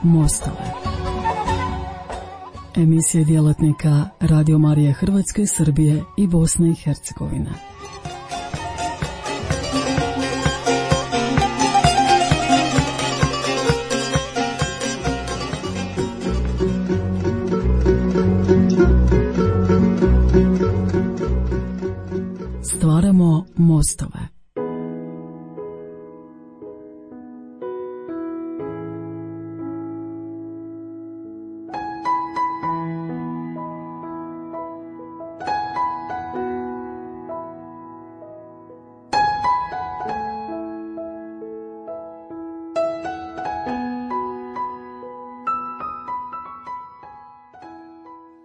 mostove. Emisije djelatnika Radio Marije Hrvatske, Srbije i Bosne i Hercegovine. Stvaramo mostove.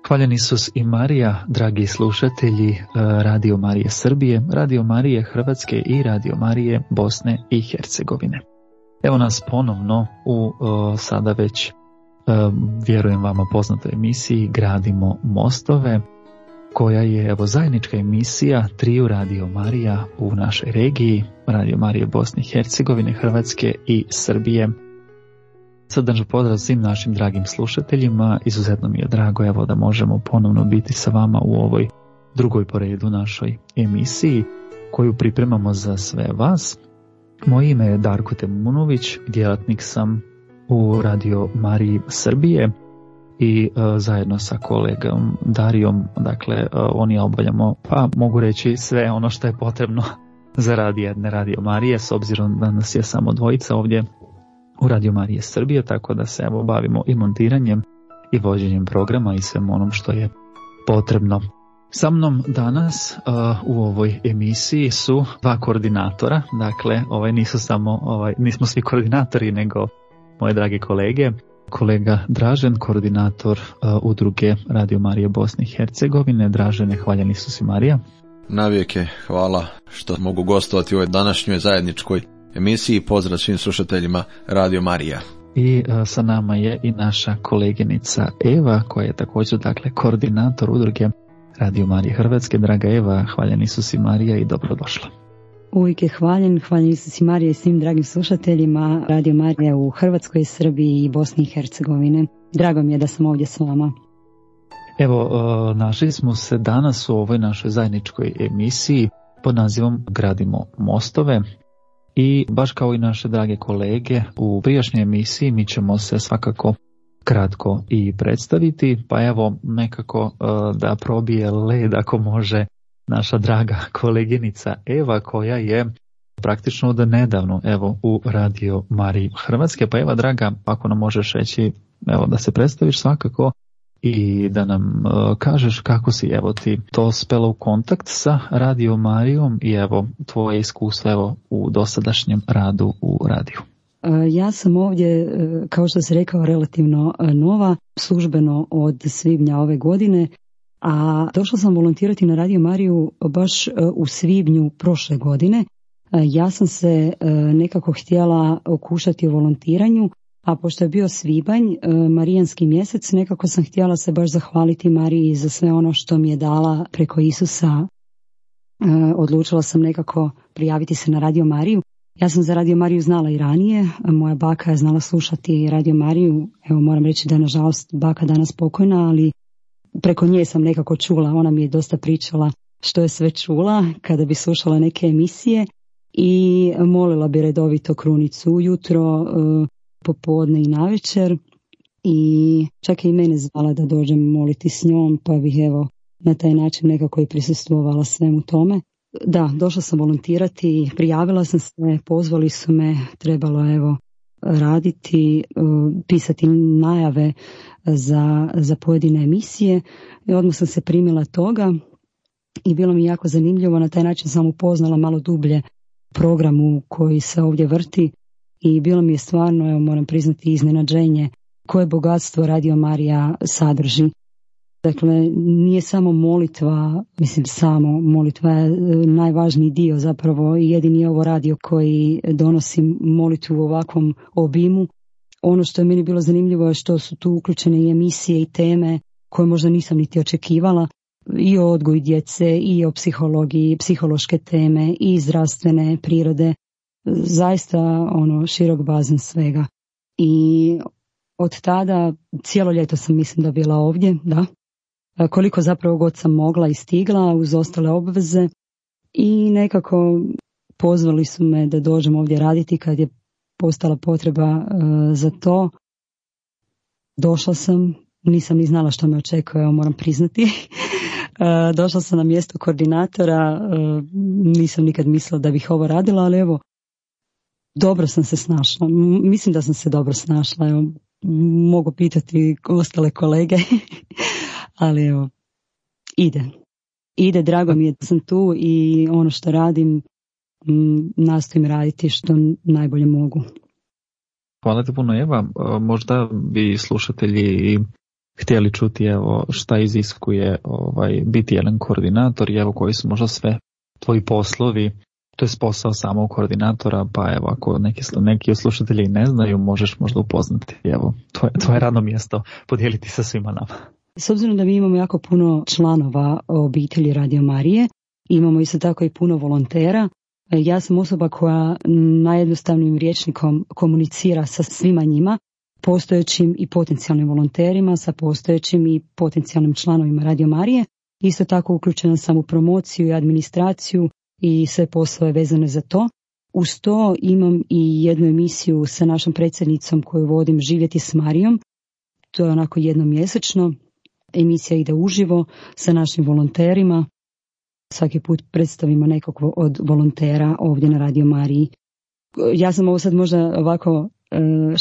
Hvaljen Isus i Marija, dragi slušatelji Radio Marije Srbije, Radio Marije Hrvatske i Radio Marije Bosne i Hercegovine. Evo nas ponovno u sada već, vjerujem vama poznatoj emisiji Gradimo mostove, koja je evo zajednička emisija triju Radio Marija u našoj regiji, Radio Marije Bosne i Hercegovine, Hrvatske i Srbije. Srdačan pozdrav svim našim dragim slušateljima, izuzetno mi je drago evo da možemo ponovno biti sa vama u ovoj drugoj po redu našoj emisiji koju pripremamo za sve vas. Moje ime je Darko Temunović, djelatnik sam u Radio Mariji Srbije i zajedno sa kolegom Darijom, dakle oni obavljamo, pa mogu reći sve ono što je potrebno za rad jedne Radio Marije, s obzirom da nas je samo dvojica ovdje u Radio Marije Srbije, tako da se evo bavimo i montiranjem i vođenjem programa i svem onom što je potrebno. Sa mnom danas u ovoj emisiji su dva koordinatora, dakle nisu samo, nismo svi koordinatori, nego moje drage kolege. Kolega Dražen, koordinator udruge Radio Marije Bosne i Hercegovine. Dražene, hvaljen Isus i Marija. Navijeke, hvala što mogu gostovati u ovoj današnjoj zajedničkoj emisiji. Pozdrav svim slušateljima Radio Marija. I sa nama je i naša koleginica Eva, koja je također koordinator udruge Radio Marije Hrvatske. Draga Eva, hvaljen Isus i Marija i dobrodošla. Uvijek je hvaljen Isus i Marija i svim dragim slušateljima Radio Marije u Hrvatskoj, Srbiji i Bosni i Hercegovine. Drago mi je da sam ovdje s vama. Evo, našli smo se danas u ovoj našoj zajedničkoj emisiji pod nazivom Gradimo mostove. I baš kao i naše drage kolege u prijašnjoj emisiji mi ćemo se svakako kratko i predstaviti, pa evo nekako da probije led ako može naša draga koleginica Eva, koja je praktično od nedavno evo u Radio Mariji Hrvatske. Pa Eva draga, ako nam možeš reći evo da se predstaviš svakako i da nam kažeš kako si evo ti to spela u kontakt sa Radio Marijom i evo tvoje iskustvo evo u dosadašnjem radu u radiju. Ja sam ovdje, kao što si rekao, relativno nova, službeno od svibnja ove godine, a došla sam volontirati na Radio Mariju baš u svibnju prošle godine. Ja sam se nekako htjela okušati u volontiranju, a pošto je bio svibanj, marijanski mjesec, nekako sam htjela se baš zahvaliti Mariji za sve ono što mi je dala preko Isusa. Odlučila sam nekako prijaviti se na Radio Mariju. Ja sam za Radio Mariju znala i ranije, moja baka je znala slušati Radio Mariju. Evo moram reći da je nažalost baka danas pokojna, ali preko nje sam nekako čula, ona mi je dosta pričala što je sve čula kada bi slušala neke emisije i molila bi redovito krunicu ujutro, popodne i navečer i čak je i mene zvala da dođem moliti s njom, pa bih evo na taj način nekako i prisustvovala svemu tome. Da, došla sam volontirati, prijavila sam se, pozvali su me, trebalo evo raditi, pisati najave za pojedine emisije i odmah sam se primila toga i bilo mi jako zanimljivo, na taj način sam upoznala malo dublje programu koji se ovdje vrti. I bilo mi je stvarno, evo moram priznati, iznenađenje koje bogatstvo Radio Marija sadrži. Dakle, nije samo molitva, samo molitva je najvažniji dio zapravo i jedini je ovo radio koji donosi molitvu u ovakvom obimu. Ono što je meni bilo zanimljivo je što su tu uključene i emisije i teme koje možda nisam niti očekivala. I o odgoju djece, i o psihologiji, psihološke teme, i zdravstvene prirode. Zaista širok bazen svega. I od tada cijelo ljeto sam mislim da bila ovdje, da. Koliko zapravo god sam mogla i stigla uz ostale obveze i nekako pozvali su me da dođem ovdje raditi kad je postala potreba za to. Došla sam, nisam ni znala što me očekuje, moram priznati. Došla sam na mjesto koordinatora, nisam nikad mislila da bih ovo radila, ali evo, dobro sam se snašla. Mislim da sam se dobro snašla, evo, mogu pitati ostale kolege, ali evo, ide, drago mi je da sam tu i ono što radim, nastojim raditi što najbolje mogu. Hvala ti puno, Eva. Možda bi slušatelji htjeli čuti evo šta iziskuje biti jedan koordinator i evo koji su možda sve tvoji poslovi, to je posao samog koordinatora, pa evo ako neki od slušatelji ne znaju, možeš možda upoznati evo tvoje radno mjesto, podijeliti sa svima nama. S obzirom da mi imamo jako puno članova obitelji Radio Marije, imamo isto tako i puno volontera. Ja sam osoba koja najjednostavnijim rječnikom komunicira sa svima njima, postojećim i potencijalnim volonterima, sa postojećim i potencijalnim članovima Radio Marije. Isto tako uključena sam u promociju i administraciju i sve poslove vezane za to. Uz to imam i jednu emisiju sa našom predsjednicom koju vodim, Živjeti s Marijom. To je onako jednomjesečno. Emisija ide uživo sa našim volonterima. Svaki put predstavimo nekog od volontera ovdje na Radio Mariji. Ja sam ovo sad možda ovako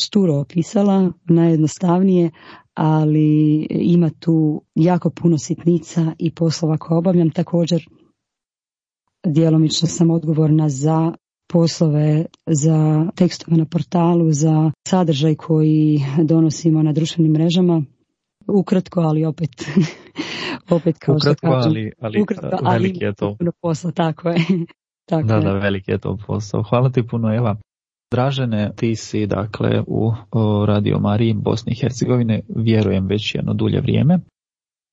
šturo opisala, najjednostavnije, ali ima tu jako puno sitnica i poslova koje obavljam. Također, djelomično sam odgovorna za poslove, za tekstove na portalu, za sadržaj koji donosimo na društvenim mrežama. Ukratko, ali opet kao što kažem. Ukratko, ali veliki je to. Puno posla, tako je. Tako da, je. Da, veliki je to posao. Hvala ti puno, Eva. Dražene, ti si dakle u Radio Mariji Bosne i Hercegovine, vjerujem već jedno dulje vrijeme,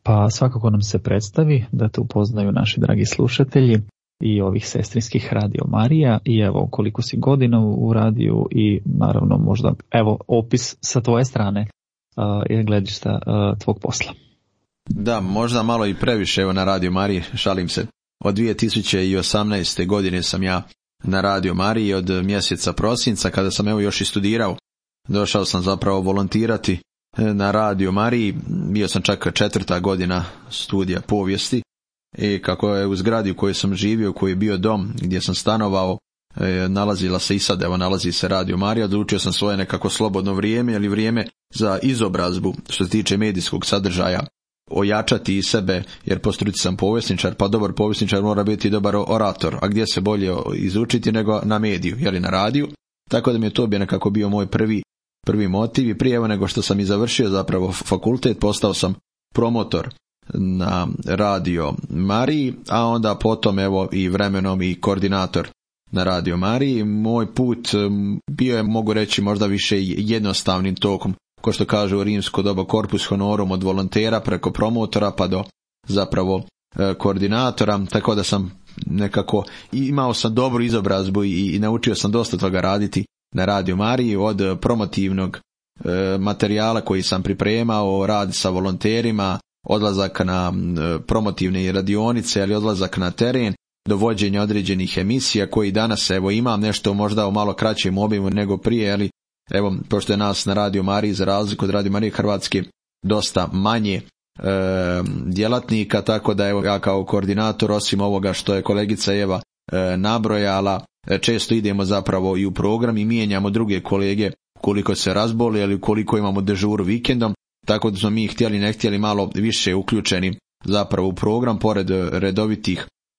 pa svakako nam se predstavi da te upoznaju naši dragi slušatelji i ovih sestrinskih Radio Marija i evo koliko si godina u radiju i naravno možda evo opis sa tvoje strane gledišta tvog posla. Da, možda malo i previše evo na Radio Mariji, šalim se. Od 2018. godine sam ja na Radio Mariji, od mjeseca prosinca kada sam evo još i studirao. Došao sam zapravo volontirati na Radio Mariji, bio sam čak 4. godina studija povijesti i kako je u zgradi u kojoj sam živio, koji je bio dom gdje sam stanovao, nalazila se i sad, evo nalazi se Radio Marija, odlučio sam svoje nekako slobodno vrijeme ili vrijeme za izobrazbu što se tiče medijskog sadržaja ojačati i sebe, jer po struci sam povjesničar, pa dobar povjesničar mora biti dobar orator, a gdje se bolje izučiti nego na mediju, jeli na radiju, tako da mi je to nekako bio moj prvi motiv i prije evo nego što sam i završio zapravo fakultet, postao sam promotor na Radio Mariji, a onda potom evo i vremenom i koordinator na Radio Mariji. Moj put bio je, mogu reći, možda više jednostavnim tokom, ko što kaže u rimsko doba corpus honorum, od volontera preko promotora pa do zapravo koordinatora, tako da sam nekako imao sam dobru izobrazbu i naučio sam dosta toga raditi na Radio Mariji, od promotivnog materijala koji sam pripremao, rad sa volonterima, odlazak na promotivne radionice, ali odlazak na teren, do vođenja određenih emisija koji danas evo imam nešto možda u malo kraćem obimu nego prije, ali evo pošto je nas na Radio Mariji za razliku od Radio Marije Hrvatske dosta manje djelatnika, tako da evo ja kao koordinator, osim ovoga što je kolegica Eva nabrojala, često idemo zapravo i u program i mijenjamo druge kolege koliko se razboli ili koliko imamo dežuru vikendom, tako da smo mi htjeli ne htjeli malo više uključeni zapravo u program pored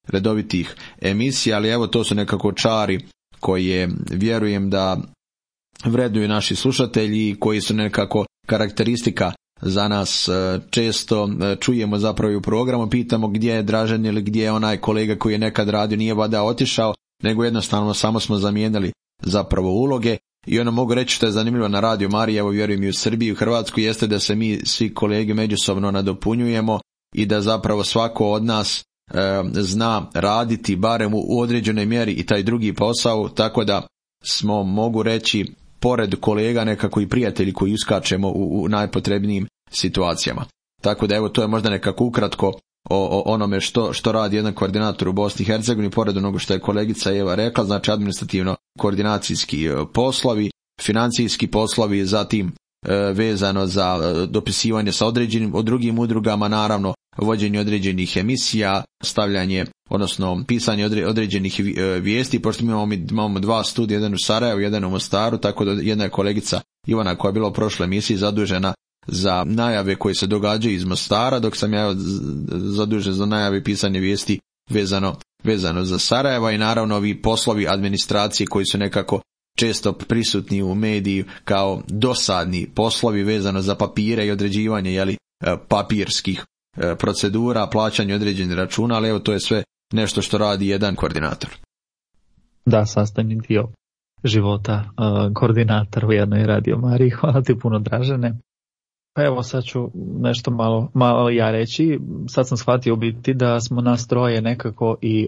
redovitih emisija, ali evo to su nekako čari koje vjerujem da vrednuju naši slušatelji, koji su nekako karakteristika za nas. Često čujemo zapravo u programu, pitamo gdje je Dražen ili gdje je onaj kolega koji je nekad radio, nije vada otišao, nego jednostavno samo smo zamijenili zapravo uloge. I ono mogu reći što je zanimljivo na Radio Mariji, evo vjerujem i u Srbiji i u Hrvatskoj, jeste da se mi svi kolege međusobno nadopunjujemo i da zapravo svako od nas zna raditi barem u određenoj mjeri i taj drugi posao, tako da smo, mogu reći, pored kolega nekako i prijatelji koji uskačemo u najpotrebnijim situacijama. Tako da evo, to je možda nekako ukratko o onome što radi jedan koordinator u Bosni i Hercegovini, pored onoga što je kolegica Eva rekla, znači administrativno koordinacijski poslovi, financijski poslovi, zatim vezano za dopisivanje sa drugim udrugama, naravno vođenje određenih emisija, stavljanje, odnosno pisanje određenih vijesti, pošto mi imamo 2 studija, jedan u Sarajevu, jedan u Mostaru, tako da jedna je kolegica Ivana koja je bila u prošloj emisiji zadužena za najave koje se događaju iz Mostara, dok sam ja zadužen za najave i pisanje vijesti vezano za Sarajeva, i naravno ovi poslovi administracije koji su nekako često prisutni u mediji kao dosadni poslovi vezano za papire i određivanje papirskih procedura, plaćanje određenih računa, ali evo, to je sve nešto što radi jedan koordinator. Da, sastavni dio života koordinatora u jednoj Radio Mariji. Hvala ti puno, Dražene. Pa evo, sad ću nešto malo ja reći. Sad sam shvatio biti da smo nas troje nekako i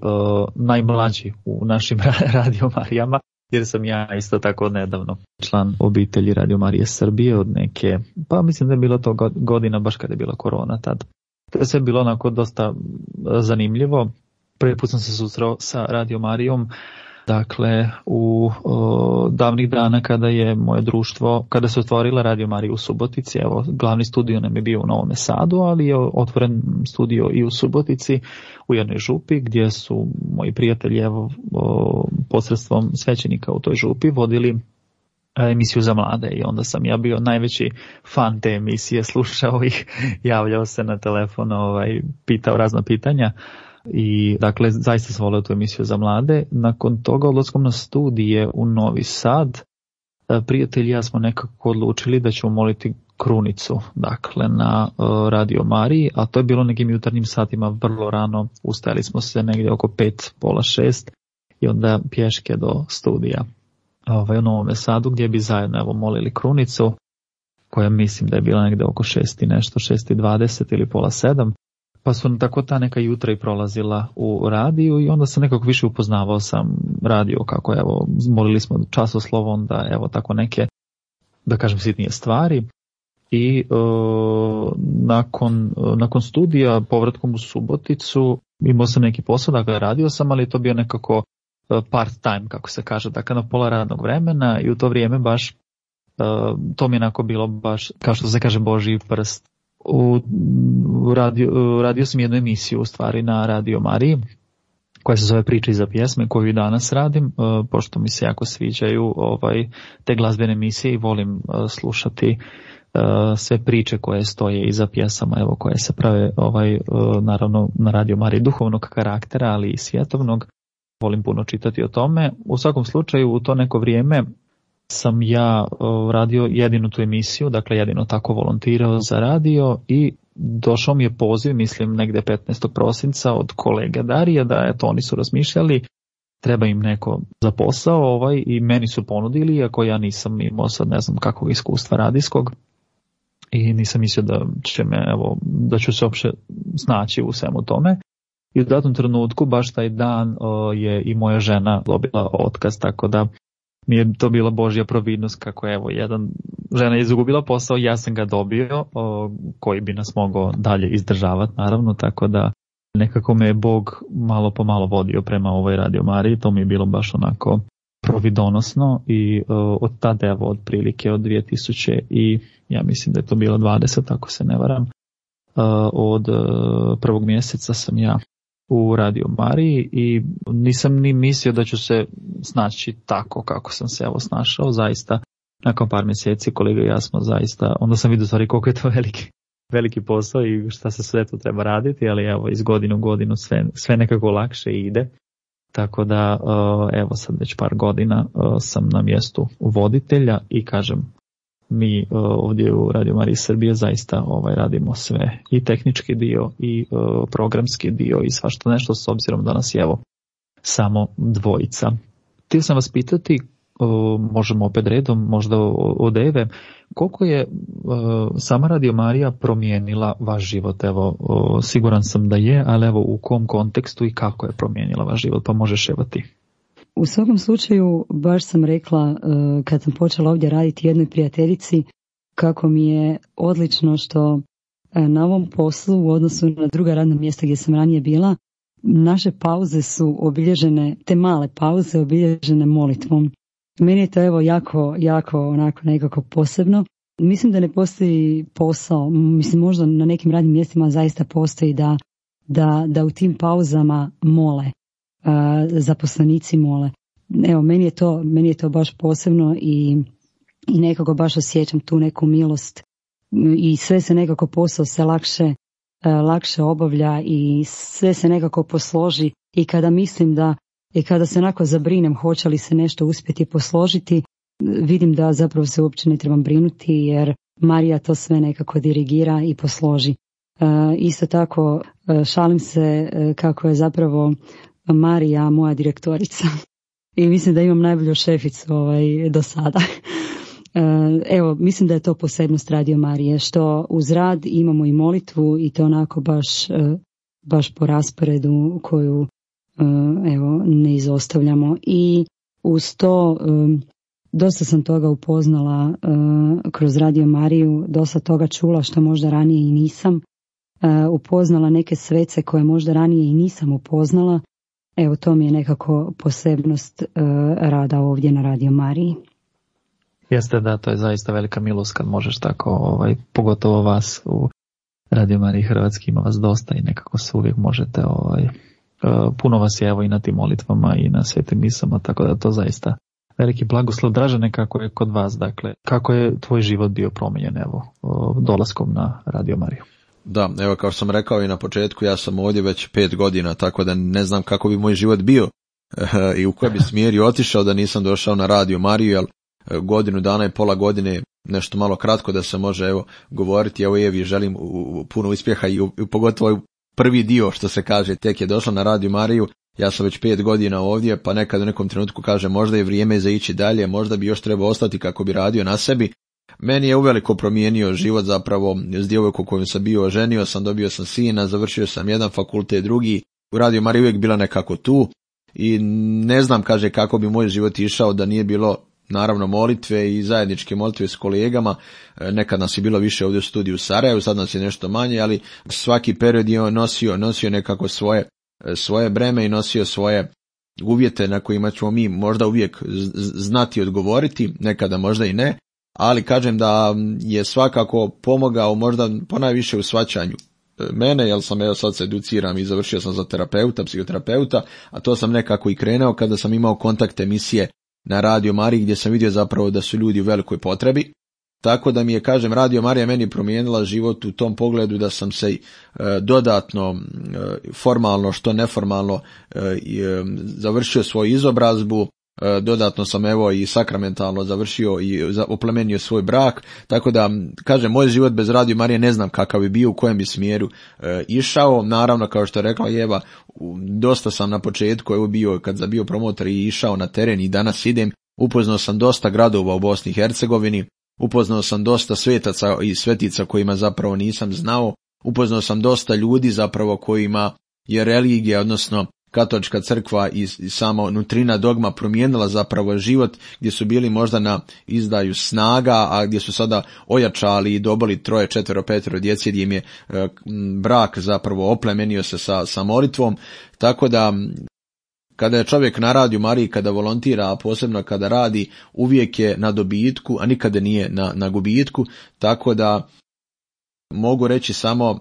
najmlađi u našim Radio Marijama, jer sam ja isto tako nedavno član obitelji Radio Marije Srbije od neke, pa mislim da je bilo to godina baš kada je bila korona tad. To je sve bilo onako dosta zanimljivo. Prvi put sam se susreo sa Radio Marijom, dakle u davnih dana kada je moje društvo, kada se otvorila Radio Marija u Subotici. Evo, glavni studio nam je bio u Novom Sadu, ali je otvoren studio i u Subotici, u jednoj župi, gdje su moji prijatelji posredstvom svećenika u toj župi vodili emisiju za mlade, i onda sam ja bio najveći fan te emisije, slušao ih, javljao se na telefon, pitao razna pitanja. I dakle, zaista sam volio tu emisiju za mlade. Nakon toga, odlaskom na studije u Novi Sad, prijatelji i ja smo nekako odlučili da ćemo moliti krunicu, dakle, na Radio Mariji, a to je bilo nekim jutarnjim satima, vrlo rano. Ustajali smo se negdje oko 5, pola 6 i onda pješke do studija u Novom Sadu, gdje bi zajedno molili krunicu, koja mislim da je bila negdje oko 6 i nešto, 6:20 ili pola 7. Pa su tako ta neka jutra i prolazila u radiju, i onda sam nekako više upoznavao sam radio, kako molili smo časoslovo, onda tako neke, da kažem, sitnije stvari. I nakon studija, povratkom u Suboticu, imao sam neki posao, dakle radio sam, ali to bio nekako part time, kako se kaže, dakle na pola radnog vremena, i u to vrijeme baš to mi je onako bilo baš, kao što se kaže, Božji prst. Radio sam jednu emisiju u stvari na Radio Mariji, koja se zove Priče iza pjesme, koju i danas radim, pošto mi se jako sviđaju te glazbene emisije i volim slušati sve priče koje stoje iza pjesama, koje se prave naravno na Radio Mariji duhovnog karaktera, ali i svjetovnog. Volim puno čitati o tome. U svakom slučaju, u to neko vrijeme sam ja radio jedinu tu emisiju, dakle jedino tako volontirao za radio, i došao mi je poziv, mislim negdje 15. prosinca od kolege Darija, da oni su razmišljali, treba im neko za posao, i meni su ponudili, iako ja nisam imao sad ne znam kakvog iskustva radijskog, i nisam mislio da ću se uopće snaći u svemu tome. I u datom trenutku, baš taj dan, je i moja žena dobila otkaz, tako da mi je to bila Božja providnost, kako žena je izgubila posao, ja sam ga dobio, koji bi nas mogao dalje izdržavati, naravno, tako da nekako me je Bog malo po malo vodio prema ovoj Radio Mariji. To mi je bilo baš onako providonosno, i od tada, otprilike od 2000 i ja mislim da je to bilo 20, ako se ne varam, od prvog mjeseca sam ja u Radio Mariji, i nisam ni mislio da ću se snaći tako kako sam se snašao. Zaista, nakon par mjeseci kolega i ja smo zaista, onda sam vidio stvari koliko je to veliki posao i šta se sve tu treba raditi, ali iz godine u godinu sve nekako lakše ide. Tako da sad već par godina sam na mjestu voditelja, i kažem, mi ovdje u Radio Mariji Srbije zaista radimo sve, i tehnički dio i programski dio i svašta nešto, s obzirom da nas je samo dvojica. Htio sam vas pitati, možemo opet redom, možda od Eve, koliko je sama Radio Marija promijenila vaš život? Siguran sam da je, ali u kom kontekstu i kako je promijenila vaš život, pa možeš ti. U svakom slučaju, baš sam rekla kad sam počela ovdje raditi jednoj prijateljici kako mi je odlično što na ovom poslu u odnosu na druga radna mjesta gdje sam ranije bila, naše pauze su obilježene, te male pauze obilježene molitvom. Meni je to jako onako nekako posebno. Mislim da ne postoji posao, mislim možda na nekim radnim mjestima zaista postoji da u tim pauzama mole, zaposlenici mole. Evo, meni je to baš posebno i nekako baš osjećam tu neku milost i sve se nekako posao se lakše obavlja i sve se nekako posloži i kada mislim i kada se onako zabrinem hoće li se nešto uspjeti posložiti, vidim da zapravo se uopće ne trebam brinuti jer Marija to sve nekako dirigira i posloži. Isto tako šalim se kako je zapravo Marija moja direktorica i mislim da imam najbolju šeficu do sada. Evo, mislim da je to posebnost Radio Marije, što uz rad imamo i molitvu i to onako baš po rasporedu koju ne izostavljamo. I uz to dosta sam toga upoznala kroz Radio Mariju, dosta toga čula što možda ranije i nisam. Upoznala neke svece koje možda ranije i nisam upoznala. Evo, to mi je nekako posebnost rada ovdje na Radio Mariji. Jeste, da, to je zaista velika milost kad možeš tako, pogotovo vas u Radio Mariji Hrvatski, ima vas dosta i nekako se uvijek možete, puno vas je evo i na tim molitvama i na svetim misama, tako da to zaista veliki blagoslov. Dražene, kako je kod vas, dakle, kako je tvoj život bio promijenjen evo dolaskom na Radio Mariju? Da, evo kao što sam rekao i na početku, ja sam ovdje već 5 godina, tako da ne znam kako bi moj život bio i u kojem bi smjeri otišao da nisam došao na Radio Mariju, jer godinu dana i pola godine nešto malo kratko da se može govoriti. Evo Evi želim puno uspjeha i pogotovo prvi dio što se kaže tek je došla na Radio Mariju. Ja sam već 5 godina ovdje, pa nekad u nekom trenutku kaže možda je vrijeme za ići dalje, možda bi još trebao ostati kako bi radio na sebi. Meni je uveliko promijenio život zapravo s djevojkom kojom sam bio, oženio sam, dobio sam sina, završio sam jedan fakultet, drugi. U Radio Mariji uvijek bila nekako tu i ne znam, kaže, kako bi moj život išao da nije bilo naravno molitve i zajedničke molitve s kolegama. Nekad nas je bilo više ovdje u studiju u Sarajevu, sad nas je nešto manje, ali svaki period je nosio nekako svoje breme i nosio svoje uvjete na kojima ćemo mi možda uvijek znati odgovoriti, nekada možda i ne, ali kažem da je svakako pomogao možda ponajviše u shvaćanju mene, jer sam sad se educiram i završio sam za psihoterapeuta, a to sam nekako i krenuo kada sam imao kontakt emisije na Radio Mariji gdje sam vidio zapravo da su ljudi u velikoj potrebi. Tako da mi je, kažem, Radio Marija meni promijenila život u tom pogledu da sam se dodatno, formalno što neformalno, završio svoju izobrazbu, dodatno sam evo i sakramentalno završio i oplemenio svoj brak, tako da, kažem, moj život bez Radio Marije ne znam kakav bi bio, u kojem bi smjeru išao. Naravno, kao što je rekla Eva, dosta sam na početku bio, kad sam bio promotor i išao na teren i danas idem, upoznao sam dosta gradova u Bosni i Hercegovini, upoznao sam dosta svetaca i svetica kojima zapravo nisam znao, upoznao sam dosta ljudi zapravo kojima je religija, odnosno katolička crkva i sama nutrina dogma promijenila zapravo život, gdje su bili možda na izdaju snaga, a gdje su sada ojačali i dobili 3, 4, 5 djece, gdje im je brak zapravo oplemenio se sa molitvom. Tako da kada je čovjek na Radio Mariji, kada volontira, a posebno kada radi, uvijek je na dobitku, a nikada nije na gubitku, tako da mogu reći samo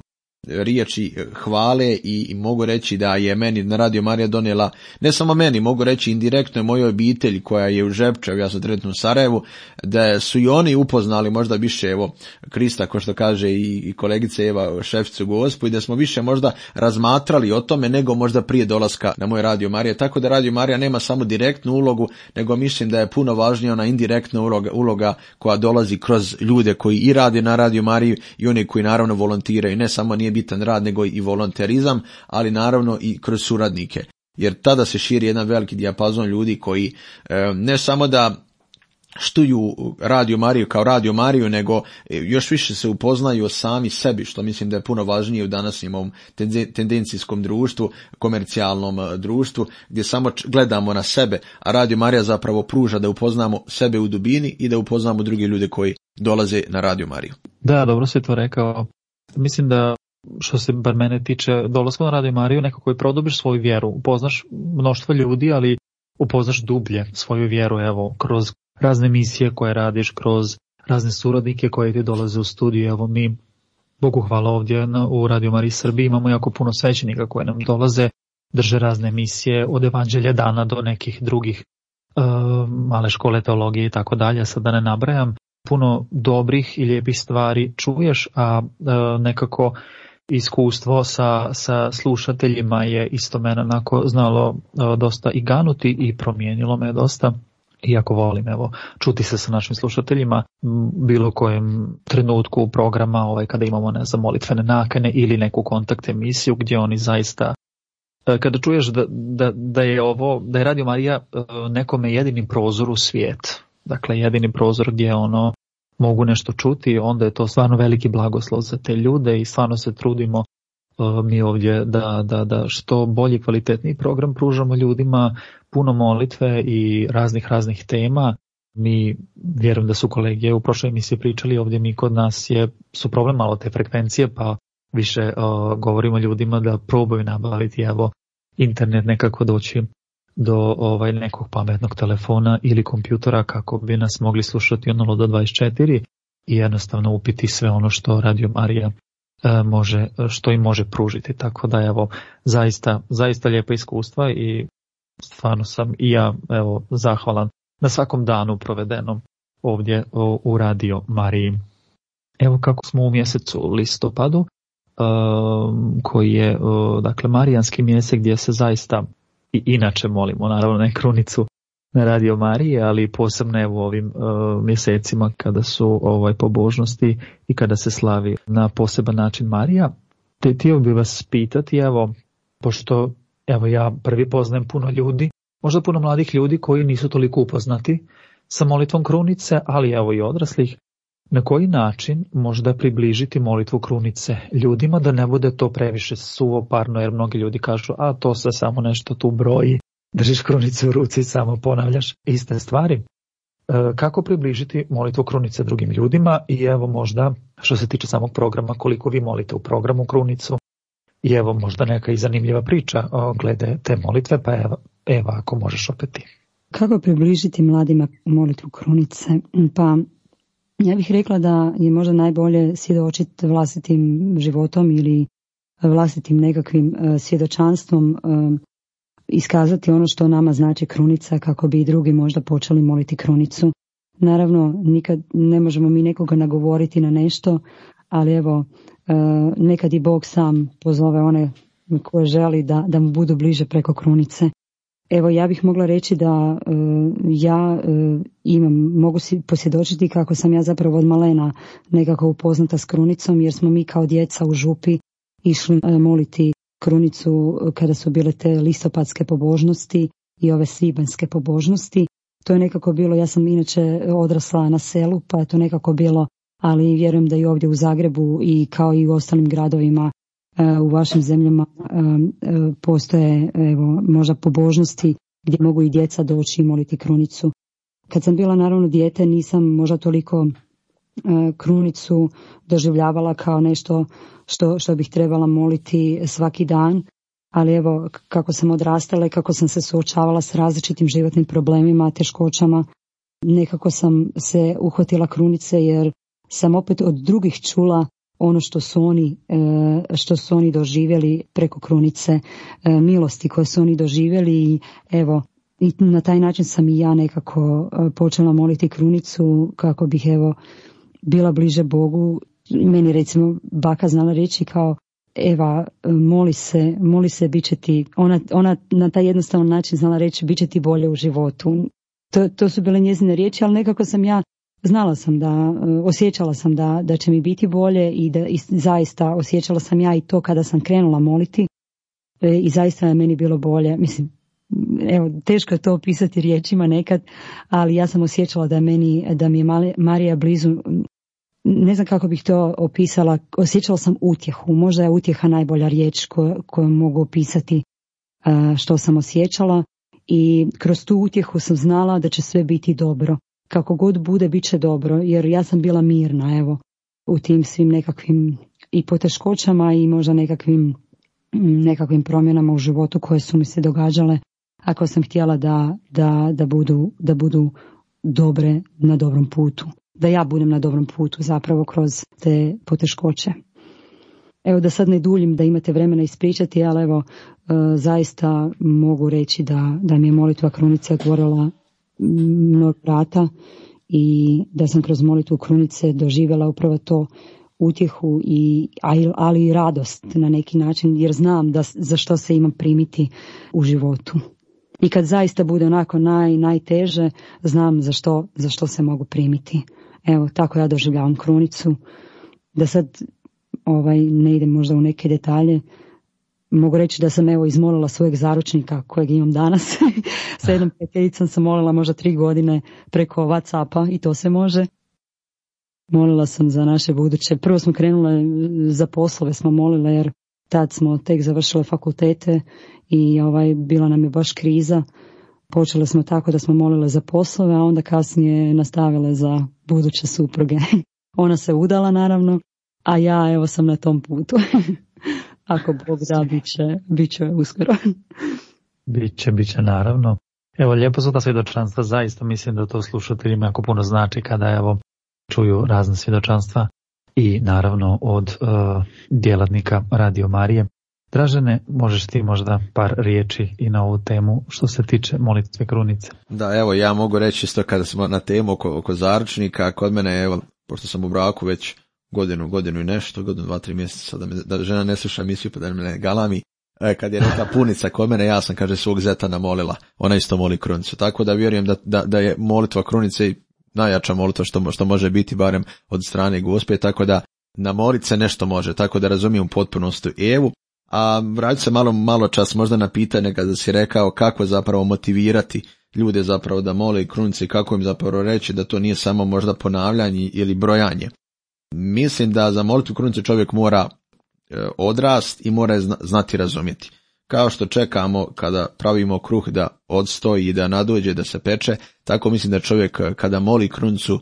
riječi hvale i mogu reći da je meni na Radio Marija donijela, ne samo meni, mogu reći indirektno mojoj obitelji koja je u Žepčevu, ja sam trenutno u Sarajevu, da su i oni upoznali možda više evo Krista, kao što kaže i kolegice Eva, šeficu Gospu, i da smo više možda razmatrali o tome nego možda prije dolaska na moj Radio Marija. Tako da Radio Marija nema samo direktnu ulogu, nego mislim da je puno važnija ona indirektna uloga koja dolazi kroz ljude koji i rade na Radio Mariji i oni koji naravno volontiraju. Ne samo nije bitan rad, nego i volonterizam, ali naravno i kroz suradnike. Jer tada se širi jedan veliki dijapazon ljudi koji ne samo da štuju Radio Mariju kao Radio Mariju, nego još više se upoznaju o sami sebi, što mislim da je puno važnije u današnjem ovom tendencijskom društvu, komercijalnom društvu, gdje samo gledamo na sebe, a Radio Marija zapravo pruža da upoznamo sebe u dubini i da upoznamo druge ljude koji dolaze na Radio Mariju. Da, dobro si to rekao. Mislim da što se bar mene tiče, dolaskom na Radio Mariju nekako i produbiš svoju vjeru, upoznaš mnoštvo ljudi, ali upoznaš dublje svoju vjeru, evo, kroz razne emisije koje radiš, kroz razne suradnike koje ti dolaze u studiju. Evo, mi, Bogu hvala, ovdje u Radio Mariji Srbiji imamo jako puno svećenika koje nam dolaze, drže razne emisije od Evanđelja dana do nekih drugih male škole teologije i tako dalje, sad da ne nabrajam. Puno dobrih i lijepih stvari čuješ, a nekako iskustvo sa slušateljima je isto mene onako znalo dosta i ganuti i promijenilo me dosta. Iako volim, evo, čuti se sa našim slušateljima bilo kojem trenutku programa, kada imamo, ne znam, molitvene nakane ili neku kontakt emisiju gdje oni zaista, kada čuješ da je Radio Marija nekome jedini prozor u svijet, dakle jedini prozor gdje mogu nešto čuti, onda je to stvarno veliki blagoslov za te ljude i stvarno se trudimo mi ovdje da što bolji, kvalitetniji program pružamo ljudima, puno molitve i raznih tema. Mi vjerujem da su kolege u prošloj emisiji pričali, ovdje mi kod nas su problem malo te frekvencije, pa više govorimo ljudima da probaju nabaviti internet, nekako doći do nekog pametnog telefona ili kompjutora kako bi nas mogli slušati od 0 do 24 i jednostavno upiti sve ono što Radio Marija što im može pružiti. Tako da zaista lijepa iskustva i stvarno sam i ja zahvalan na svakom danu provedenom ovdje u Radio Mariji. Evo kako smo u mjesecu listopadu, koji je dakle marijanski mjesec gdje se zaista i inače molimo, naravno ne krunicu na Radio Mariji, ali posebno u ovim mjesecima kada su pobožnosti i kada se slavi na poseban način Marija. Htio bih vas pitati, pošto ja prvi poznajem puno ljudi, možda puno mladih ljudi koji nisu toliko upoznati sa molitvom krunice, ali i odraslih, na koji način možda približiti molitvu krunice ljudima da ne bude to previše suvoparno, jer mnogi ljudi kažu, a to se samo nešto tu broji, držiš krunicu u ruci i samo ponavljaš iste stvari. Kako približiti molitvu krunice drugim ljudima i možda što se tiče samog programa, koliko vi molite u programu krunicu i možda neka i zanimljiva priča glede te molitve, pa ako možeš opet ti. Kako približiti mladima molitvu krunice? Pa ja bih rekla da je možda najbolje svjedočiti vlastitim životom ili vlastitim nekakvim svjedočanstvom, iskazati ono što nama znači krunica kako bi i drugi možda počeli moliti krunicu. Naravno, nikad ne možemo mi nekoga nagovoriti na nešto, ali nekad i Bog sam pozove one koje želi da mu budu bliže preko krunice. Ja bih mogla reći da mogu si posvjedočiti kako sam ja zapravo od malena nekako upoznata s krunicom, jer smo mi kao djeca u župi išli moliti krunicu kada su bile te listopadske pobožnosti i ove svibanjske pobožnosti. To je nekako bilo, ja sam inače odrasla na selu, pa je to nekako bilo, ali vjerujem da i ovdje u Zagrebu i kao i u ostalim gradovima u vašim zemljama postoje možda pobožnosti gdje mogu i djeca doći i moliti krunicu. Kad sam bila naravno dijete nisam možda toliko krunicu doživljavala kao nešto što bih trebala moliti svaki dan, ali kako sam odrastala i kako sam se suočavala s različitim životnim problemima, teškoćama, nekako sam se uhvatila krunice jer sam opet od drugih čula ono što su oni doživjeli preko krunice, milosti koje su oni doživjeli i i na taj način sam i ja nekako počela moliti krunicu kako bih bila bliže Bogu. Meni recimo baka znala reći kao Eva, moli se, bit će ti, ona na taj jednostavan način znala reći bit će ti bolje u životu. To su bile njezine riječi, ali nekako sam ja znala sam osjećala sam da će mi biti bolje i zaista osjećala sam ja i to kada sam krenula moliti i zaista je meni bilo bolje. Mislim, evo, teško je to opisati riječima nekad, ali ja sam osjećala da mi je Marija blizu. Ne znam kako bih to opisala, osjećala sam utjehu, možda je utjeha najbolja riječ koju mogu opisati što sam osjećala, i kroz tu utjehu sam znala da će sve biti dobro. Kako god bude, bit će dobro, jer ja sam bila mirna, evo, u tim svim nekakvim i poteškoćama i možda nekakvim promjenama u životu koje su mi se događale, ako sam htjela da budu dobre na dobrom putu. Da ja budem na dobrom putu zapravo kroz te poteškoće. Evo, da sad ne duljim, da imate vremena ispričati, ali evo, zaista mogu reći da mi je molitva krunice otvorila mnogo vrata i da sam kroz molitvu krunice doživjela upravo to, utjehu, ali i radost na neki način, jer znam za što se imam primiti u životu. I kad zaista bude onako najteže, znam za što se mogu primiti. Evo, tako ja doživljavam krunicu. Da sad ne idem možda u neke detalje, mogu reći da sam evo izmolila svojeg zaručnika kojeg imam danas. Sa jednom prijateljicom sam molila možda 3 godine preko WhatsAppa i to se može. Molila sam za naše buduće. Prvo smo krenule za poslove, smo molile jer tad smo tek završile fakultete i bila nam je baš kriza. Počele smo tako da smo molile za poslove, a onda kasnije nastavile za buduće supruge. Ona se udala naravno, a ja evo sam na tom putu. Ako Bog da, bit će uskoro. Biće naravno. Evo, lijepo su ta svjedočanstva, zaista mislim da to slušateljima jako puno znači kada evo čuju razne svjedočanstva i naravno od djelatnika Radio Marije. Dražene, možeš ti možda par riječi i na ovu temu što se tiče molitve krunice? Da, evo, ja mogu reći isto kada smo na temu oko zaručnika, kod mene, evo, pošto sam u braku već godinu i nešto, 2-3 mjeseca, da žena ne sluša emisiju pa da me ne galami, kad je neka punica kod mene, ja sam, kaže, svog zeta namolila, ona isto moli krunicu, tako da vjerujem da je molitva krunice najjača molitva što može biti, barem od strane Gospe, tako da namolit se nešto može, tako da razumijem u potpunosti Evu. A vraću se malo čas možda na pitanje kada si rekao kako zapravo motivirati ljude zapravo da mole krunice i kako im zapravo reći da to nije samo možda ponavljanje ili brojanje. Mislim da za molitvu krunice čovjek mora odrast i mora znati razumjeti. Kao što čekamo kada pravimo kruh da odstoji i da nadođe, da se peče, tako mislim da čovjek kada moli krunicu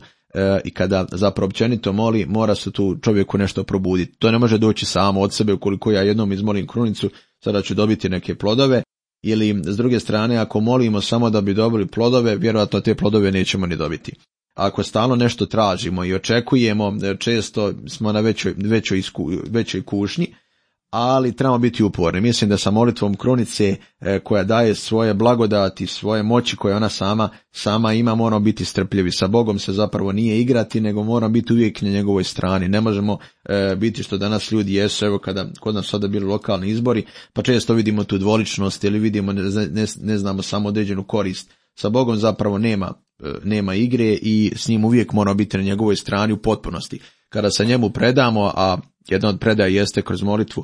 i kada zapravo općenito moli, mora se tu čovjeku nešto probuditi. To ne može doći samo od sebe, ukoliko ja jednom izmolim krunicu, sada ću dobiti neke plodove, ili s druge strane, ako molimo samo da bi dobili plodove, vjerojatno te plodove nećemo ni dobiti. Ako stalno nešto tražimo i očekujemo, često smo na većoj kušnji, ali trebamo biti uporni. Mislim da sa molitvom krunice koja daje svoje blagodati, svoje moći koje ona sama ima, moramo biti strpljivi. Sa Bogom se zapravo nije igrati, nego moramo biti uvijek na njegovoj strani. Ne možemo biti što danas ljudi jesu, evo kada kod nas sada bili lokalni izbori, pa često vidimo tu dvoličnost ili vidimo ne znamo samo određenu korist. Sa Bogom zapravo nema igre i s njim uvijek moramo biti na njegovoj strani u potpunosti. Kada se njemu predamo, a jedna od predaja jeste kroz molitvu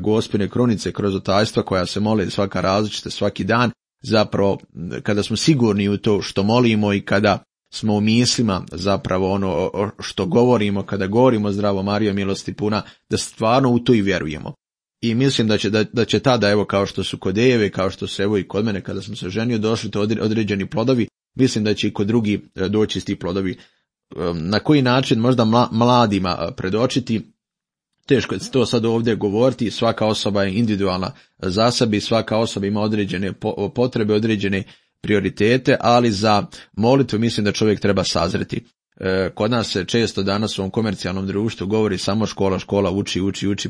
Gospine krunice, kroz otajstva koja se mole svaka različita, svaki dan, zapravo kada smo sigurni u to što molimo i kada smo u mislima zapravo ono što govorimo, kada govorimo zdravo Marijo milosti puna, da stvarno u to i vjerujemo. I mislim da će tada, evo kao što su kod Eve, kao što su evo i kod mene kada sam se ženio, došli to određeni plodovi, mislim da će i kod drugi doći ti plodovi. Na koji način možda mladima predočiti, teško je to sad ovdje govoriti, svaka osoba je individualna za sebe, svaka osoba ima određene potrebe, određene prioritete, ali za molitvu mislim da čovjek treba sazreti. Kod nas se često danas u ovom komercijalnom društvu govori samo škola, uči,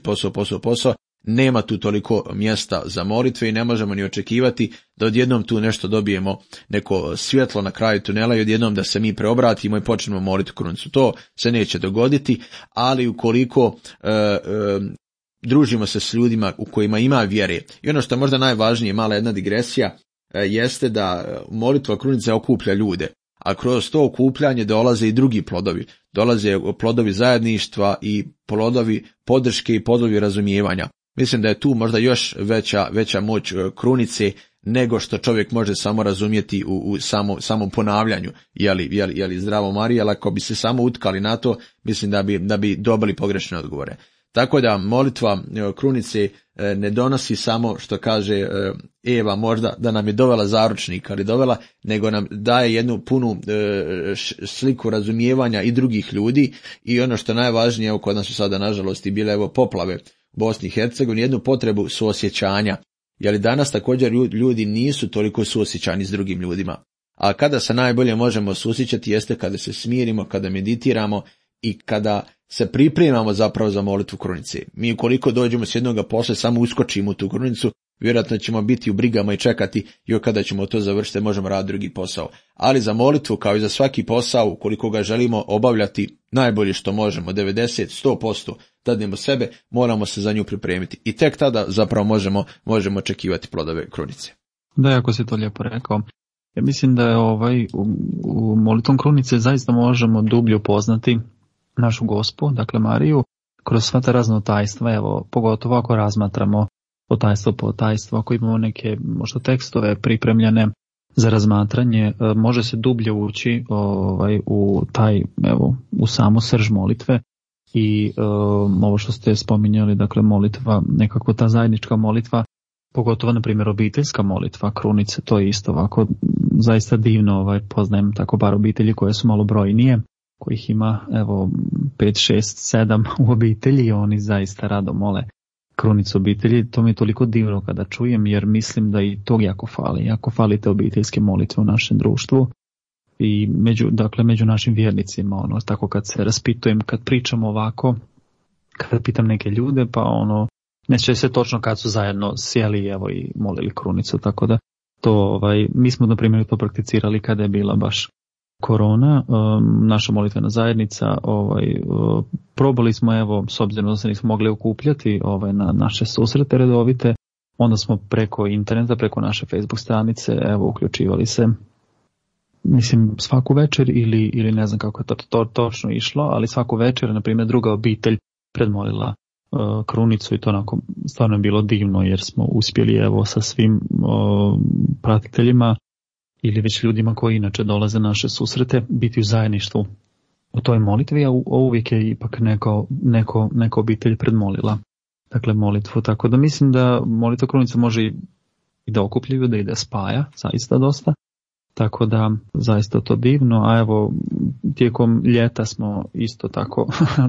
posao. Nema tu toliko mjesta za molitve i ne možemo ni očekivati da odjednom tu nešto dobijemo, neko svjetlo na kraju tunela i odjednom da se mi preobratimo i počnemo moliti krunicu. To se neće dogoditi, ali ukoliko družimo se s ljudima u kojima ima vjere. I ono što je možda najvažnije, mala jedna digresija, jeste da molitva krunice okuplja ljude. A kroz to okupljanje dolaze i drugi plodovi. Dolaze plodovi zajedništva i plodovi podrške i plodovi razumijevanja. Mislim da je tu možda još veća moć krunice nego što čovjek može samo razumjeti u samom ponavljanju jeli zdravo Marija, ali ako bi se samo utkali na to, mislim da bi dobili pogrešne odgovore. Tako da molitva krunice ne donosi samo, što kaže Eva, možda da nam je dovela zaručnika, ali dovela, nego nam daje jednu punu sliku razumijevanja i drugih ljudi, i ono što najvažnije, evo kod nas su sada nažalost i bile poplave u Bosni i Hercegovini, jednu potrebu suosjećanja. Jer danas također ljudi nisu toliko suosjećani s drugim ljudima. A kada se najbolje možemo suosjećati jeste kada se smirimo, kada meditiramo i kada se pripremamo zapravo za molitvu krunice. Mi ukoliko dođemo s jednoga posla, samo uskočimo u tu krunicu, vjerojatno ćemo biti u brigama i čekati i kada ćemo to završiti možemo raditi drugi posao. Ali za molitvu, kao i za svaki posao, ukoliko ga želimo obavljati najbolje što možemo, 90-100% dadnemo sebe, moramo se za nju pripremiti. I tek tada zapravo možemo očekivati plodove krunice. Da, jako si to lijepo rekao. Ja mislim da je u molitvom krunice zaista možemo dublje upoznati našu Gospu, dakle Mariju, kroz sva ta razna tajstva, evo, pogotovo ako razmatramo tajstvo po tajstvo, ako imamo neke možda tekstove pripremljene za razmatranje, može se dublje ući u taj, evo, u samu srž molitve i ovo što ste spominjali, dakle molitva, nekako ta zajednička molitva, pogotovo na primjer obiteljska molitva krunice, to je isto ovako zaista divno, poznajem tako bar obitelji koje su malo brojnije, kojih ima evo 5, 6, 7 u obitelji i oni zaista rado mole krunicu obitelji. To mi je toliko divno kada čujem, jer mislim da i tog jako fali te obiteljske molitve u našem društvu i među našim vjernicima, tako kad se raspitujem, kad pričamo ovako, kada pitam neke ljude, pa ne sjeća se točno kad su zajedno sjeli evo i molili krunicu, tako da to mi smo na primjer to prakticirali kada je bila baš korona, naša molitvena zajednica, probali smo, evo, s obzirom da se nismo mogli okupljati na naše susrete redovite, onda smo preko interneta, preko naše Facebook stranice, evo, uključivali se, mislim, svaku večer ili ne znam kako je to točno išlo, ali svaku večer, na primjer, druga obitelj predmolila krunicu i to onako stvarno je bilo divno, jer smo uspjeli, evo, sa svim pratiteljima ili već ljudima koji inače dolaze na naše susrete, biti u zajedništvu u toj molitvi, a uvijek je ipak neka obitelj predmolila, dakle, molitvu. Tako da mislim da molitva krunice može i da okuplja ljude i da spaja, zaista dosta. Tako da zaista to divno, a evo tijekom ljeta smo isto tako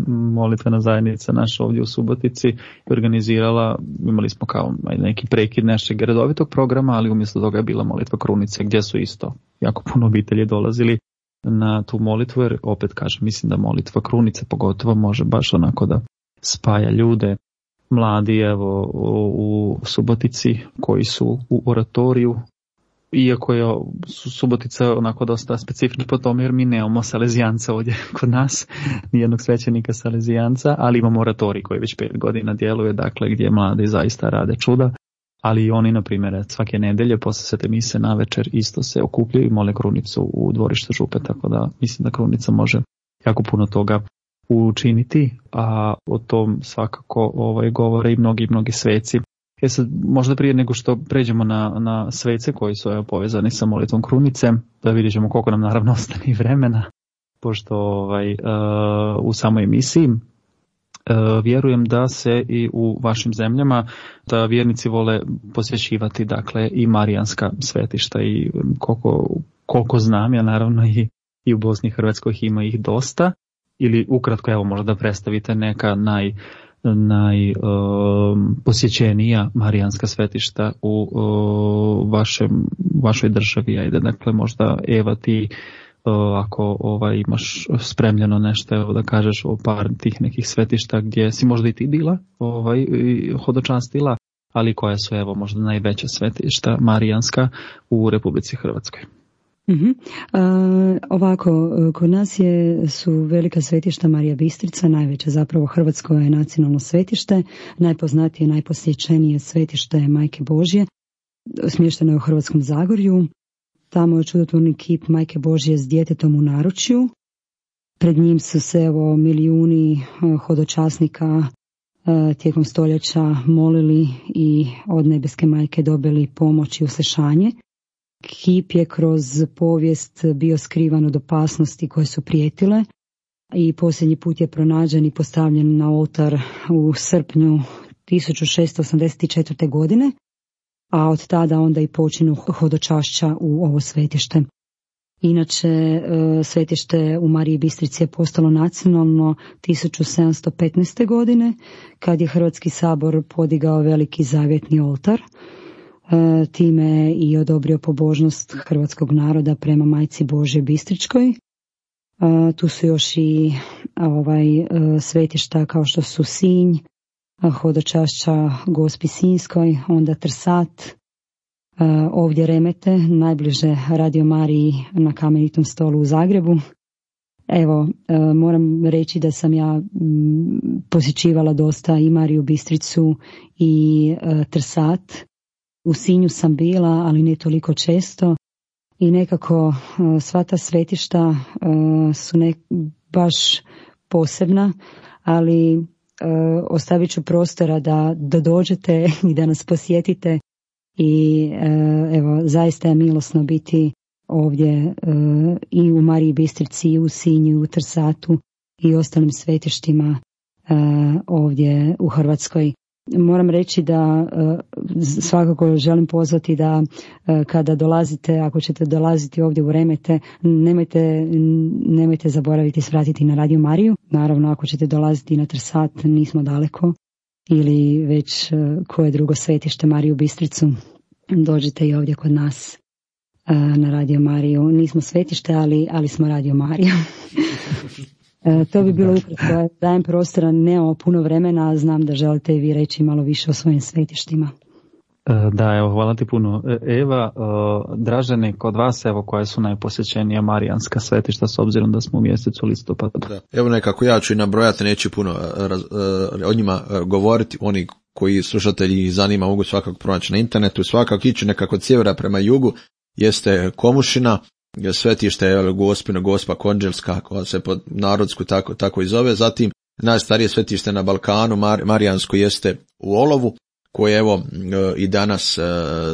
molitvena zajednica naša ovdje u Subotici organizirala, imali smo kao neki prekid našeg redovitog programa, ali umjesto toga je bila molitva krunice gdje su isto jako puno obitelji dolazili na tu molitvu, jer opet kažem, mislim da molitva krunice pogotovo može baš onako da spaja ljude, mladi evo u Subotici koji su u oratoriju. Iako je Subotica onako dosta specifična po tome, jer mi nemamo salezijanca ovdje kod nas, nijednog svećenika salezijanca, ali imamo oratorij koji već 5 godina djeluje, dakle gdje mladi zaista rade čuda, ali i oni, na primjer, svake nedelje poslije svete mise na večer isto se okupljaju i mole krunicu u dvorištu župe, tako da mislim da krunica može jako puno toga učiniti, a o tom svakako govore i mnogi sveci. Sad, možda prije nego što pređemo na svece koji su povezani sa molitvom krunice, da vidjet ćemo koliko nam naravno ostane vremena, pošto u samoj emisiji vjerujem da se i u vašim zemljama da vjernici vole posjećivati, dakle, i marijanska svetišta, i koliko znam ja, naravno i u Bosni i Hrvatskoj ima ih dosta, ili ukratko, evo, možda predstavite neka najposjećenija marijanska svetišta u vašoj državi. Ajde, dakle, možda Eva, ti ako imaš spremljeno nešto, evo, da kažeš o par tih nekih svetišta gdje si možda i ti bila hodočastila, ali koja su, evo, možda najveća svetišta marijanska u Republici Hrvatskoj. Ovako, kod nas su velika svetišta Marija Bistrica, najveće zapravo hrvatsko je nacionalno svetište, najpoznatije, najposjećenije svetište je Majke Božje, smješteno je u Hrvatskom Zagorju. Tamo je čudotvorni kip Majke Božje s djetetom u naručju. Pred njim su se, evo, milijuni hodočasnika tijekom stoljeća molili i od nebeske majke dobili pomoć i uslešanje. Kip je kroz povijest bio skrivan od opasnosti koje su prijetile i posljednji put je pronađen i postavljen na oltar u srpnju 1684. godine, a od tada onda i počinu hodočašća u ovo svetište. Inače, svetište u Mariji Bistrici je postalo nacionalno 1715. godine, kad je Hrvatski sabor podigao veliki zavjetni oltar. Time i odobrio pobožnost hrvatskog naroda prema Majci Božje Bistričkoj. Tu su još i svetišta kao što su Sinj, hodočašća Gospi Sinjskoj, onda Trsat, ovdje Remete, najbliže Radio Mariji na Kamenitom stolu u Zagrebu. Evo, moram reći da sam ja posjećivala dosta i Mariju Bistricu i Trsat. U Sinju sam bila, ali ne toliko često, i nekako sva ta svetišta su baš posebna, ali ostavit ću prostora da dođete i da nas posjetite i evo, zaista je milosno biti ovdje i u Mariji Bistrici, i u Sinju, i u Trsatu i ostalim svetištima ovdje u Hrvatskoj. Moram reći da svakako želim pozvati da kada dolazite, ako ćete dolaziti ovdje u Remete, nemojte zaboraviti svratiti na Radio Mariju. Naravno, ako ćete dolaziti na Trsat, nismo daleko, ili već koje drugo svetište, Mariju Bistricu, dođite i ovdje kod nas na Radio Mariju. Nismo svetište, ali smo Radio Mariju. To bi bilo ukratko. Dajem prostora, nemamo puno vremena, a znam da želite i vi reći malo više o svojim svetištima. Da, evo, hvala ti puno. Eva, Dražene, kod vas, evo, koja su najposjećenija marijanska svetišta, s obzirom da smo u mjesecu listopada? Da. Evo nekako ja ću i nabrojati, neću puno o njima govoriti. Oni koji slušatelji zanima mogu svakako pronaći na internetu, svakako ići nekako od sjevera prema jugu, jeste Komušina, svetište je Gospino, Gospa Konđelska, koja se po narodsku tako i zove. Zatim najstarije svetište na Balkanu, marijansko, jeste u Olovu, koje evo i danas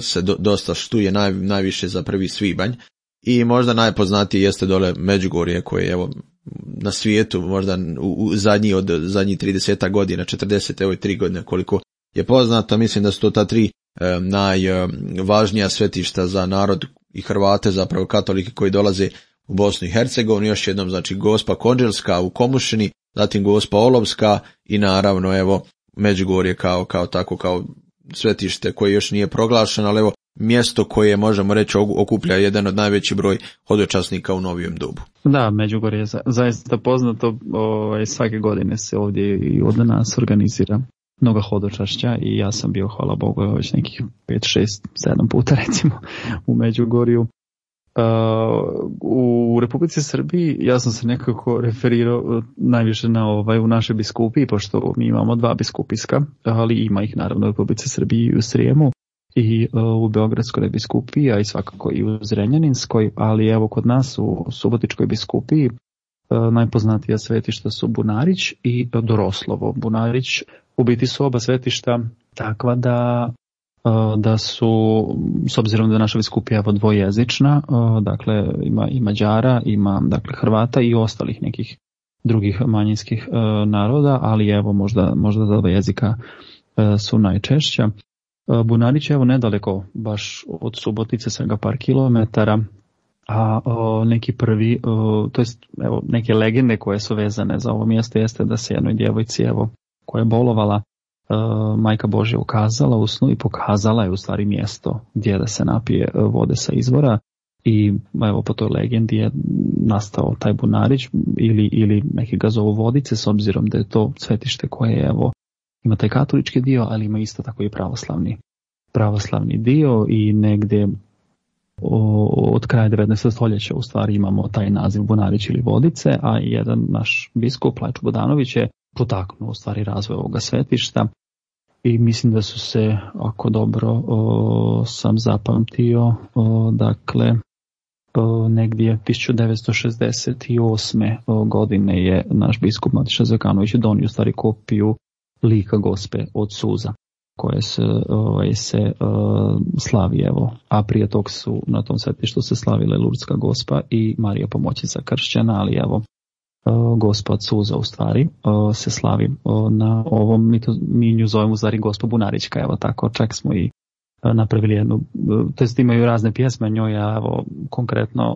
se dosta štuje najviše za 1. svibanj. I možda najpoznatije jeste dole Međugorje, koje evo na svijetu možda u zadnjih 30 godina, 40, evo i 3 godine koliko je poznato. Mislim da su to ta 3 najvažnija svetišta za narod i Hrvate, zapravo katolike koji dolaze u Bosnu i Hercegovinu. Još jednom, znači, Gospa Konđelska u Komušini, zatim Gospa Olovska i naravno evo Međugorje kao svetište koje još nije proglašeno, ali evo mjesto koje možemo reći okuplja jedan od najveći broj hodočasnika u novijem dobu. Da, Međugorje je zaista poznato, svake godine se ovdje i od nas organizira mnoga hodočašća i ja sam bio, hvala Bogu, već nekih 5, 6, 7 puta recimo u Međugorju. U Republici Srbiji ja sam se nekako referirao najviše na u našoj biskupiji, pošto mi imamo 2 biskupijska, ali ima ih naravno u Republici Srbiji i u Srijemu i u Beogradskoj biskupiji, a i svakako i u Zrenjaninskoj, ali evo kod nas u Subotičkoj biskupiji najpoznatija svetišta su Bunarić i Doroslovo. Bunarić u biti su oba svetišta takva da su, s obzirom da je naša biskupija dvojezična, dakle ima i Mađara, ima dakle Hrvata i ostalih nekih drugih manjinskih naroda, ali evo možda za 2 jezika su najčešća. Bunarić je evo nedaleko baš od Subotice, svega par kilometara, a neki prvi, to jest evo neke legende koje su vezane za ovo mjesto jeste da se jednoj djevojci evo koja je bolovala, Majka Božja ukazala u snu i pokazala je u stvari mjesto gdje da se napije vode sa izvora i evo po toj legendi je nastao taj Bunarić ili neki ga zovu Vodice, s obzirom da je to svetište koje evo ima taj katolički dio, ali ima isto tako i pravoslavni dio i negdje od kraja 19. stoljeća u stvari imamo taj naziv Bunarić ili Vodice, a jedan naš biskup Lajčo Bodanović je potaknuo u stvari razvoj ovoga svetišta i mislim da su se, ako dobro sam zapamtio, dakle negdje 1968. godine je naš biskup Matiša Zekanović donio u stvari kopiju lika Gospe od suza koje se slavi, evo, a prije tog su na tom svetištu se slavile Lurdska Gospa i Marija Pomoćnica kršćana, ali evo Gospa od suza u stvari se slavi na ovom, mi nju zovemo zari Gospa Bunarička, evo tako, čak smo i napravili jednu, to imaju razne pjesme njoj, a evo konkretno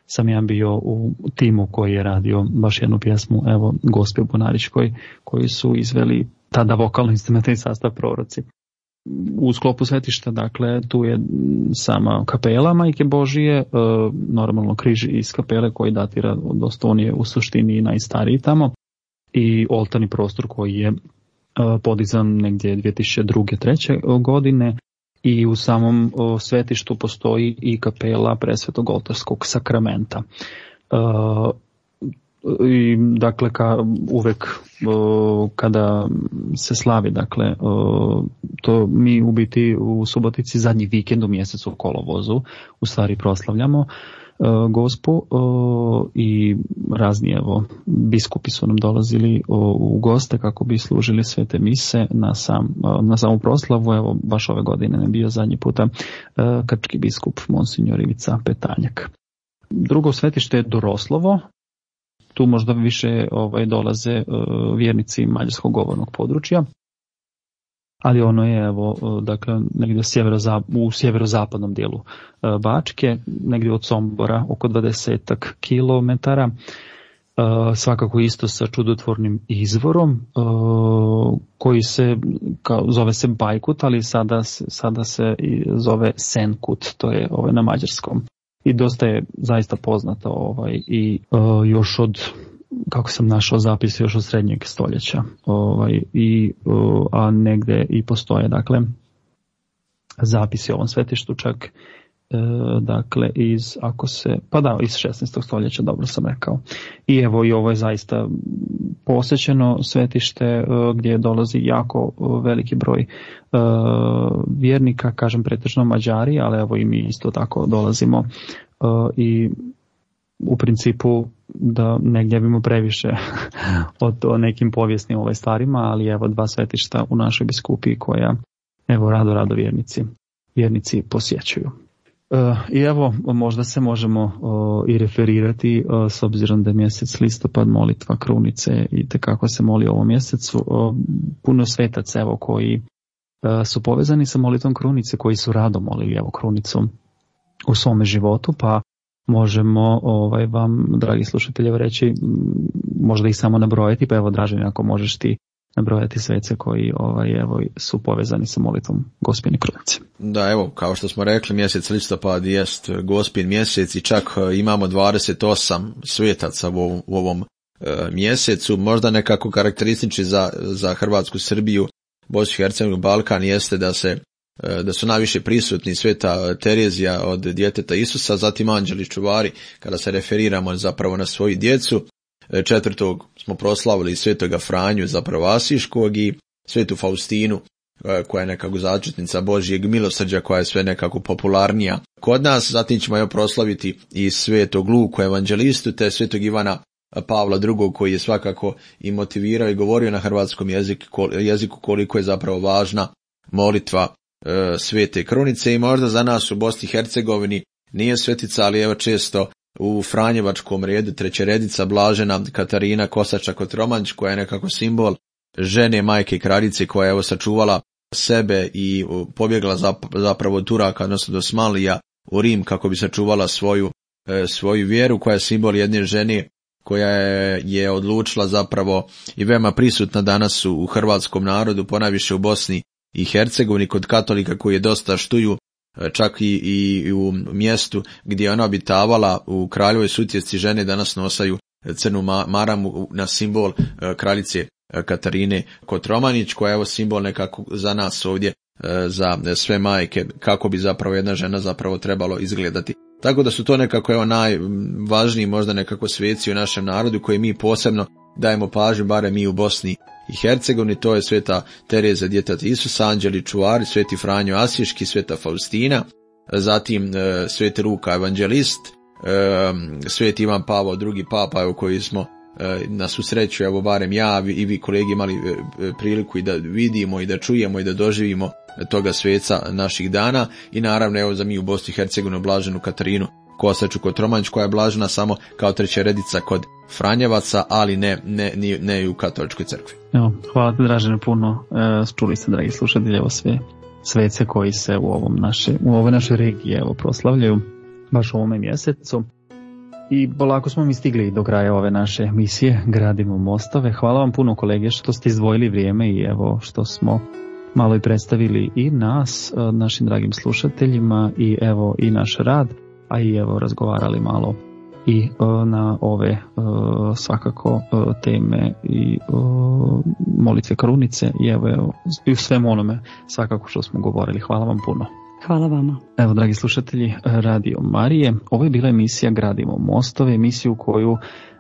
sam ja bio u timu koji je radio baš jednu pjesmu, evo, Gospe Bunaričkoj, koji su izveli tada vokalno-instrumentalni sastav Proroci. U sklopu svetišta, dakle, tu je sama kapela Majke Božije, normalno križ iz kapele koji datira dosta, on je u suštini najstariji tamo, i oltarni prostor koji je podizan negdje 2002. 2003. godine, i u samom svetištu postoji i kapela Presvetog oltarskog sakramenta. I dakle uvek kada se slavi, dakle to mi u biti u Subotici zadnji vikend u mjesecu u kolovozu u stvari proslavljamo Gospu, i razni evo biskupi su nam dolazili u goste kako bi služili svete mise na samu proslavu. Evo baš ove godine ne bio zadnji puta krčki biskup Monsignor Ivica Petanjak. Drugo svetište je Doroslovo. Tu možda više dolaze vjernici mađarskog govornog područja, ali ono je evo, dakle, negdje u sjeverozapadnom dijelu Bačke, negdje od Sombora, oko 20 kilometara, svakako isto sa čudotvornim izvorom, koji se, zove se Bajkut, ali sada se zove Senkut, to je na mađarskom. I dosta je zaista poznato i još od, kako sam našao zapis, još od srednjeg stoljeća, a negde i postoje, dakle, zapisi o ovom svetištu čak, dakle, iz 16. stoljeća, dobro sam rekao. I evo, i ovo je zaista posjećeno svetište gdje dolazi jako veliki broj vjernika, kažem pretežno Mađari, ali evo i mi isto tako dolazimo, i u principu da ne gnjavimo previše o nekim povijesnim stvarima, ali evo dva svetišta u našoj biskupiji koja evo rado vjernici posjećuju. I evo, možda se možemo i referirati, s obzirom da je mjesec listopad, molitva krunice i tekako se moli u ovom mjesecu. Puno svetaca evo koji su povezani sa molitvom krunice, koji su rado molili evo krunicu u svome životu, pa možemo vam, dragi slušatelji, reći, možda ih samo nabrojati, pa evo Dražen, ako možeš ti nabrojati svece koji su povezani sa molitvom Gospine krunice. Da, evo, kao što smo rekli, mjesec listopad jest Gospin mjesec i čak imamo 28 svetaca u ovom mjesecu. Možda nekako karakteristični za Hrvatsku, Srbiju, Bosnu i Hercegovinu, Balkan jeste da su najviše prisutni sveta Terezija od djeteta Isusa, zatim anđeli čuvari, kada se referiramo zapravo na svoju djecu. 4. smo proslavili svetoga Franju, zapravo Asiškog, i svetu Faustinu, koja je nekako začetnica Božjeg milosrđa, koja je sve nekako popularnija kod nas. Zatim ćemo joj proslaviti i svetog Luku evanđelistu, te svetog Ivana Pavla II, koji je svakako i motivirao i govorio na hrvatskom jeziku koliko je zapravo važna molitva svete krunice. I možda za nas u Bosni i Hercegovini nije svetica, ali evo često u Franjevačkom redu trećeredica blažena Katarina Kosača-Kotromanić, koja je nekako simbol žene majke kraljice, koja je evo sačuvala sebe i pobjegla zapravo od Turaka, odnosno do Smalija u Rim, kako bi sačuvala svoju vjeru, koja je simbol jedne žene koja je odlučila zapravo i veoma prisutna danas u hrvatskom narodu, ponajviše u Bosni i Hercegovini kod katolika koji je dosta štuju, čak i u mjestu gdje je ona obitavala u Kraljevoj Sutjesci, žene danas nosaju crnu maramu na simbol kraljice Katarine Kotromanić, koja je evo simbol nekako za nas ovdje, za sve majke, kako bi zapravo jedna žena zapravo trebalo izgledati. Tako da su to nekako evo najvažniji možda nekako sveci u našem narodu koji mi posebno dajemo pažnju, barem mi u Bosni i Hercegovini. To je sveta Tereza djeteta Isusa, anđeli čuvari, sveti Franjo Asiški, sveta Faustina, zatim sveti Luka evanđelist, sveti Ivan Pavao II papa, koji smo na svu sreću, evo barem ja i vi kolegi imali priliku i da vidimo i da čujemo i da doživimo toga sveca naših dana. I naravno evo za mi u Bosni i Hercegovini blaženu Katarinu Kosaču Kotromanić, koja je blažena samo kao trećeredica kod Franjevaca, ali ne i u katoličkoj crkvi. Evo, hvala ti Dražene puno. Čuli ste, dragi slušatelji, evo sve svece koji se u ovoj našoj regiji proslavljaju baš u ovome mjesecu. I polako smo mi stigli do kraja ove naše emisije Gradimo mostove. Hvala vam puno kolege što ste izdvojili vrijeme i evo što smo malo i predstavili i nas, našim dragim slušateljima, i evo i naš rad, a i evo razgovarali malo i na ove svakako teme i molitve krunice i evo i u svemu onome svakako što smo govorili. Hvala vam puno. Hvala vama. Evo, dragi slušatelji Radio Marije, ovo je bila emisija Gradimo mostove, emisiju koju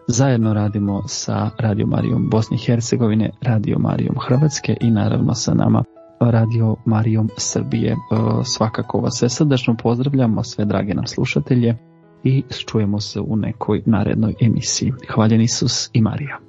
zajedno radimo sa Radio Marijom Bosne i Hercegovine, Radio Marijom Hrvatske i naravno sa nama Radio Marijom Srbije. Svakako vas sve srdačno pozdravljamo, sve drage nam slušatelje, i čujemo se u nekoj narednoj emisiji. Hvaljen Isus i Marija.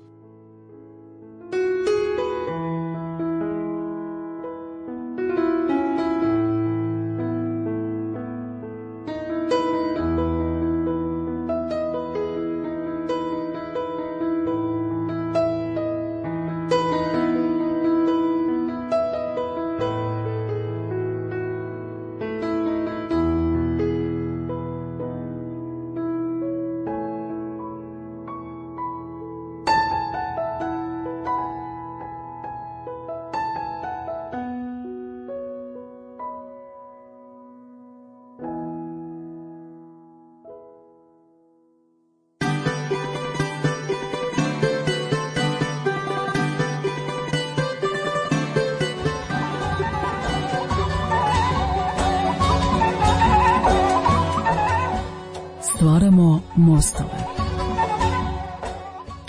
Stvaramo mostove.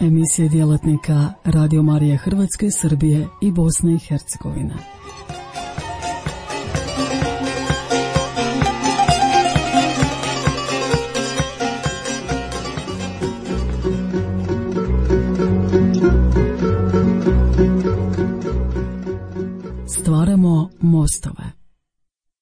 Emisije djelatnika Radio Marije Hrvatske, Srbije i Bosne i Hercegovine. Stvaramo mostove.